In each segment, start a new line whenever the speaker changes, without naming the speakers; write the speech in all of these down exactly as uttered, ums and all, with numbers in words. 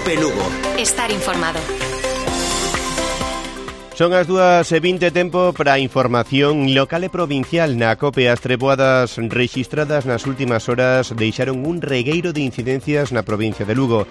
COPE Lugo.
Estar informado.
Son as dúas e vinte, tempo para a información local e provincial na COPE. As treboadas rexistradas nas últimas horas deixaron un regueiro de incidencias na provincia de Lugo.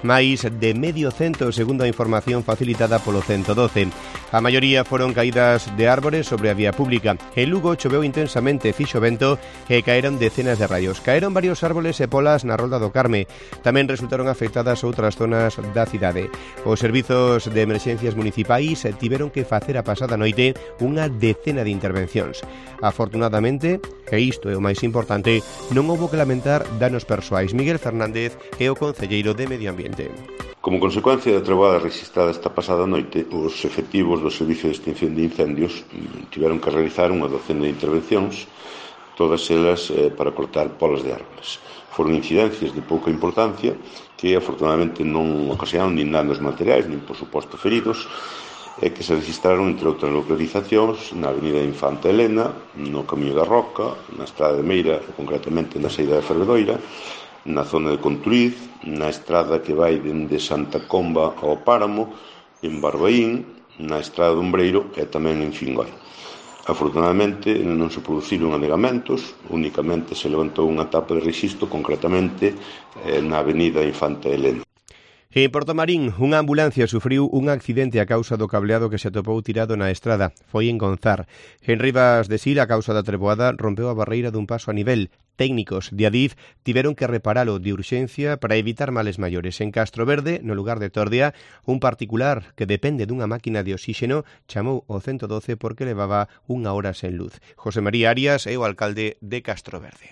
Máis de medio cento, segundo a información facilitada polo ciento doce. A maioría foron caídas de árbores sobre a vía pública. En Lugo choveu intensamente, fixo vento e caeron decenas de raios. Caeron varios árboles e polas na Rolda do Carme. Tamén resultaron afectadas outras zonas da cidade. Os servizos de emerxencias municipais tiveron que facer a pasada noite unha decena de intervencións. Afortunadamente, e isto é o máis importante, non houbo que lamentar danos persoais. Miguel Fernández é o concelleiro de Medio Ambiente.
Como consecuencia da treboada registrada esta pasada noite, os efectivos do Servicio de Extinción de Incendios tiveron que realizar unha docena de intervencións, todas elas eh, para cortar polas de árboles. Foron incidencias de pouca importancia que afortunadamente non ocasionaron nin danos materiais, nin por suposto feridos, e que se registraron entre outras localizacións na avenida Infanta Elena, no Camiño da Roca, na Estrada de Meira, concretamente na saída de Fervedoira, na zona de Conturiz, na estrada que vai dende Santa Comba ao Páramo, en Barbaín, na estrada de Umbreiro e tamén en Fingoi. Afortunadamente non se produciron anegamentos, únicamente se levantou unha tapa de rexistro, concretamente eh, na avenida Infanta Elena.
En Portomarín, unha ambulancia sufriu un accidente a causa do cableado que se atopou tirado na estrada. Foi en Gonzar. En Rivas de Sil, a causa da treboada, rompeu a barreira dun paso a nivel. Técnicos de Adif tiveron que reparalo de urxencia para evitar males maiores. En Castro Verde, no lugar de Tordia, un particular que depende dunha máquina de oxíxeno chamou o ciento doce porque levaba unha hora sen luz. José María Arias é o alcalde de Castro Verde.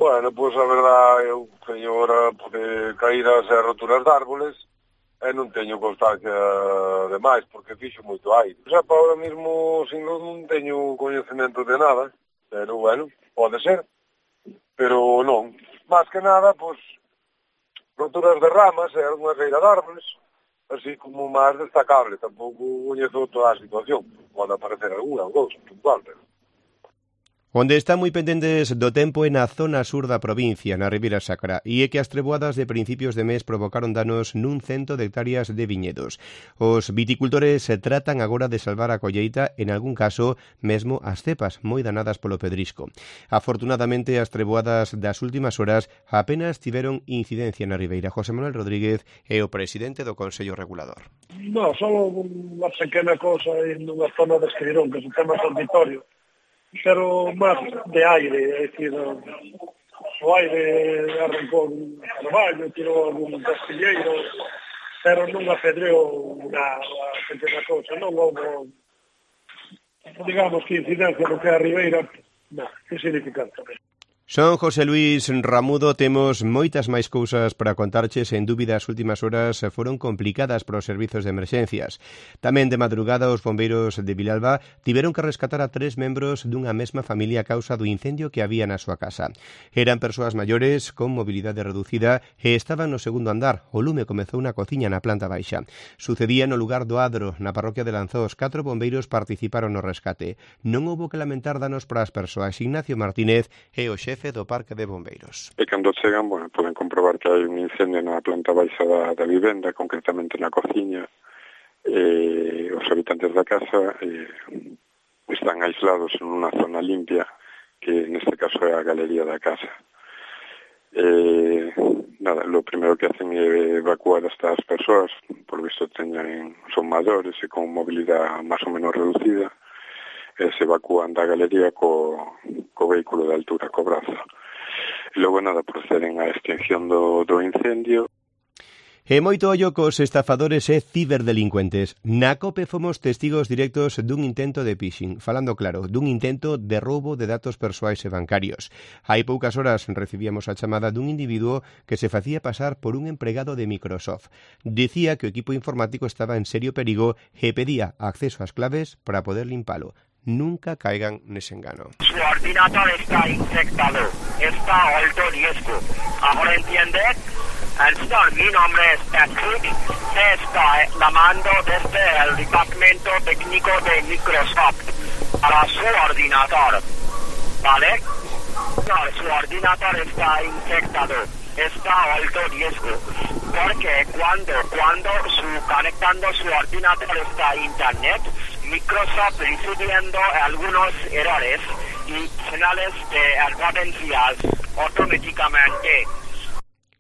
Bueno, pois a verdade, eu teño hora de caídas e roturas de árboles e non teño constancia de máis, porque fixo moito aire. Xa para ahora mesmo, sin luz, non teño coñecemento de nada, pero bueno, pode ser, pero non. Más que nada, pois, roturas de ramas e algunha reira de árboles, así como máis destacable. Tampouco coñezo toda a situación, pode aparecer algunha ou dous, puntual, pero...
Onde están moi pendentes do tempo é na zona sur da provincia, na Ribeira Sacra, e é que as treboadas de principios de mes provocaron danos nun cento de hectáreas de viñedos. Os viticultores se tratan agora de salvar a colleita, en algún caso mesmo as cepas moi danadas polo pedrisco. Afortunadamente, as treboadas das últimas horas apenas tiveron incidencia na Ribeira. José Manuel Rodríguez é o presidente do Consello Regulador.
No, só unha pequena cosa en unha zona de Esqueirón, que se chama Auditorio, pero máis de aire, é dicir, o aire arrancou un carvalho, tirou algún castilleiro, pero non apedreou unha pequena cousa, non houve, digamos, que incidencia no que é a Ribeira, non, insignificante.
Son José Luis Ramudo, temos moitas máis cousas para contarches. En dúbida, as últimas horas foron complicadas para os servizos de emerxencias. Tamén de madrugada, os bombeiros de Vilalba tiveron que rescatar a tres membros dunha mesma familia a causa do incendio que había na súa casa. Eran persoas maiores con mobilidade reducida e estaban no segundo andar. O lume comezou na cociña na planta baixa. Sucedía no lugar do Adro, na parroquia de Lanzós. Catro bombeiros participaron no rescate. Non houbo que lamentar danos para as persoas. Ignacio Martínez é o xefe do Parque de Bombeiros.
E cando chegan, bueno, poden comprobar que hai un incendio na planta baixa da, da vivenda, concretamente na cociña. E os habitantes da casa eh, están aislados en unha zona limpia, que neste caso é a galería da casa. Eh, nada, lo primero que hacen é evacuar a estas persoas, por visto teñen, son maiores e con mobilidade máis ou menos reducida, e se evacúan da galería co, co vehículo de altura, co brazo. E logo, nada, proceden á extinción do, do incendio.
E moito ollo cos estafadores e ciberdelincuentes. Na COPE fomos testigos directos dun intento de phishing, falando claro, dun intento de roubo de datos persoais e bancarios. Hai poucas horas recibíamos a chamada dun individuo que se facía pasar por un empregado de Microsoft. Dicía que o equipo informático estaba en serio perigo e pedía acceso ás claves para poder limpalo. Nunca caigan nese engano.
Su ordenador está infectado, está a alto riesgo. ¿Ahora entiende? Señor, mi nombre es Patrick. Está llamando desde el departamento técnico de Microsoft para su ordenador. ¿Vale? No, su ordenador está infectado. está a alto riesgo, porque cuando, cuando su, conectando su ordenador está a internet, Microsoft recibiendo algunos errores y señales de advertencias automáticamente.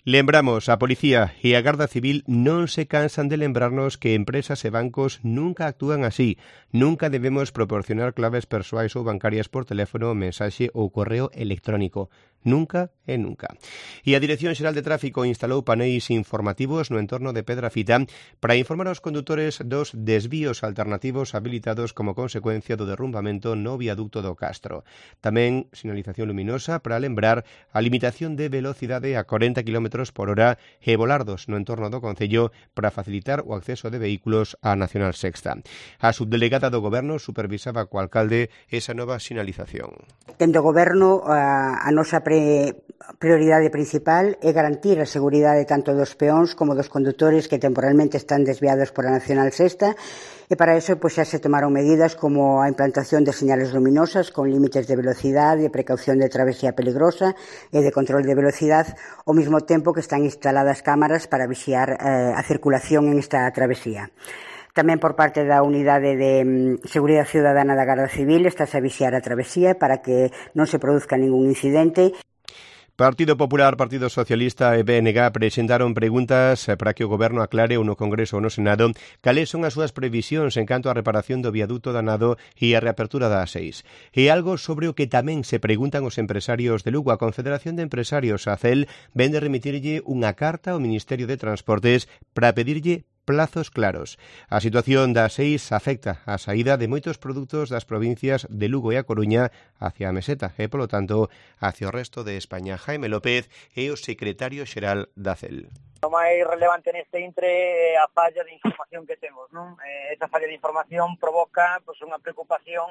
Lembramos, a Policía e a Garda Civil non se cansan de lembrarnos que empresas e bancos nunca actúan así. Nunca debemos proporcionar claves persoais ou bancarias por teléfono, mensaxe ou correo electrónico. Nunca e nunca. E a Dirección Xeral de Tráfico instalou paneis informativos no entorno de Pedrafita para informar aos condutores dos desvíos alternativos habilitados como consecuencia do derrumbamento no viaducto do Castro. Tamén sinalización luminosa para lembrar a limitación de velocidade a corenta kilómetros por hora e volardos no entorno do Concello para facilitar o acceso de vehículos á Nacional Sexta. A subdelegada do Goberno supervisaba co alcalde esa nova sinalización.
Dende o Goberno, a, a nosa pre prioridade principal é garantir a seguridade tanto dos peóns como dos condutores que temporalmente están desviados por a Nacional Sexta, e para eso pois, xa se tomaron medidas como a implantación de señales luminosas con límites de velocidade, precaución de travesía peligrosa e de control de velocidade, ao mesmo tempo que están instaladas cámaras para vixiar eh, a circulación en esta travesía. Tamén por parte da Unidade de Seguridade Ciudadana da Garda Civil estase a vixiar a travesía para que non se produzca ningún incidente.
Partido Popular, Partido Socialista e B N G presentaron preguntas para que o Goberno aclare ou no Congreso ou no Senado cales son as súas previsións en canto á reparación do viaduto danado e a reapertura da A seis. E algo sobre o que tamén se preguntan os empresarios de Lugo. A Confederación de Empresarios, a C E L, vende remitirlle unha carta ao Ministerio de Transportes para pedirlle plazos claros. A situación da A seis afecta a saída de moitos produtos das provincias de Lugo e A Coruña hacia a Meseta e, polo tanto, hacia o resto de España. Jaime López é o secretario xeral da C E L.
O máis relevante neste intre é a falla de información que temos, non? Eh, esa falla de información provoca pois, unha preocupación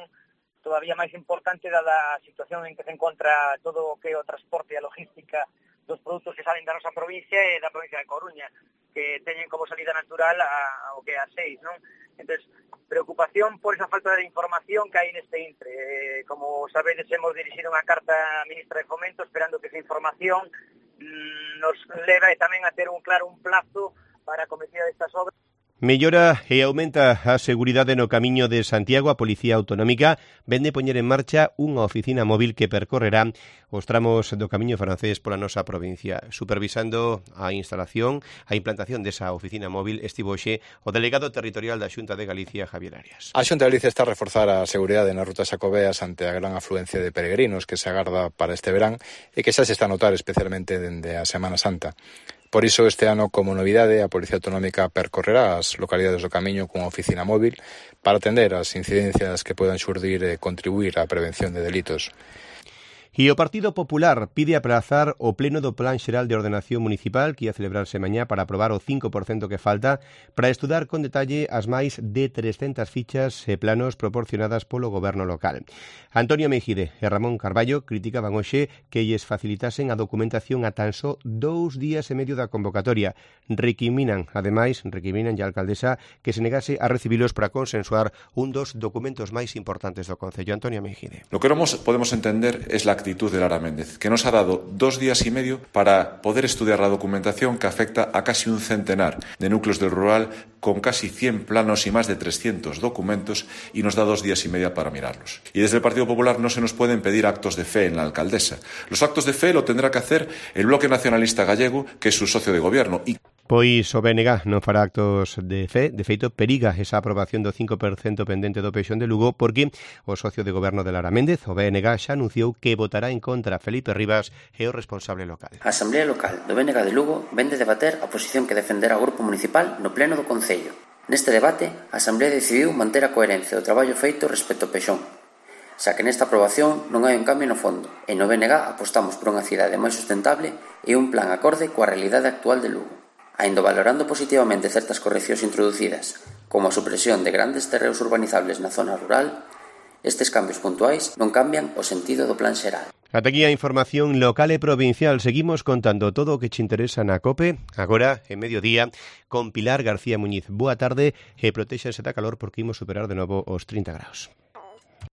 todavía máis importante dada a situación en que se encontra todo o que é o transporte e a logística dos produtos que salen da nosa provincia e da provincia de Coruña, que teñen como salida natural a, a o que é a seis, non? Entonces, preocupación por esa falta de información que hai neste intre. Eh, como sabedes, hemos dirixido unha carta á ministra de Fomento esperando que esa información mmm, nos leve tamén a ter un claro un plazo para a cometida destas obras.
Mellora e aumenta a seguridade no camiño de Santiago. A Policía Autonómica vende poñer en marcha unha oficina móvil que percorrerá os tramos do camiño francés pola nosa provincia. Supervisando a instalación, a implantación desa oficina móvil estivo hoxe o delegado territorial da Xunta de Galicia, Javier Arias.
A Xunta de Galicia está a reforzar a seguridade nas rutas xacobeas ante a gran afluencia de peregrinos que se agarda para este verán e que xa se está a notar especialmente dende a Semana Santa. Por iso, este ano, como novidade, a Policía Autonómica percorrerá as localidades do camiño cunha oficina móvil para atender as incidencias que podan xurdir e contribuir á prevención de delitos.
E o Partido Popular pide aplazar o pleno do Plan Xeral de Ordenación Municipal que ia celebrarse mañá para aprobar o cinco por cento que falta para estudar con detalle as máis de trescentas fichas e planos proporcionadas polo goberno local. Antonio Mejide e Ramón Carballo criticaban hoxe que lles facilitasen a documentación a tan só dous días e medio da convocatoria. Recriminan, ademais, recriminan a alcaldesa que se negase a recibilos para consensuar un dos documentos máis importantes do Concello. Antonio Mejide.
Lo que non podemos entender es la actitud de Lara Méndez, que nos ha dado dos días y medio para poder estudiar la documentación que afecta a casi un centenar de núcleos del rural con casi cien planos y más de trescientos documentos y nos da dos días y medio para mirarlos. Y desde el Partido Popular no se nos pueden pedir actos de fe en la alcaldesa. Los actos de fe lo tendrá que hacer el Bloque Nacionalista Gallego, que es su socio de gobierno. Y
Pois o B N G non fará actos de fe. De feito, periga esa aprobación do cinco por cento pendente do Peixón de Lugo porque o socio de goberno de Lara Méndez, o B N G, xa anunciou que votará en contra. Felipe Rivas é o responsable local.
A Asamblea Local do B N G de Lugo vende debater a posición que defenderá o Grupo Municipal no pleno do Concello. Neste debate, a Asamblea decidiu manter a coherencia do traballo feito respecto ao Peixón, xa que nesta aprobación non hai un cambio no fondo, e no B N G apostamos por unha cidade máis sustentable e un plan acorde coa realidade actual de Lugo. Ainda valorando positivamente certas correccións introducidas, como a supresión de grandes terreos urbanizables na zona rural, estes cambios puntuais non cambian o sentido do plan xeral.
Ata aquí a información local e provincial. Seguimos contando todo o que te interesa na COPE, agora, en mediodía, con Pilar García Muñiz. Boa tarde e protéxanse da calor porque imos superar de novo os trinta graus.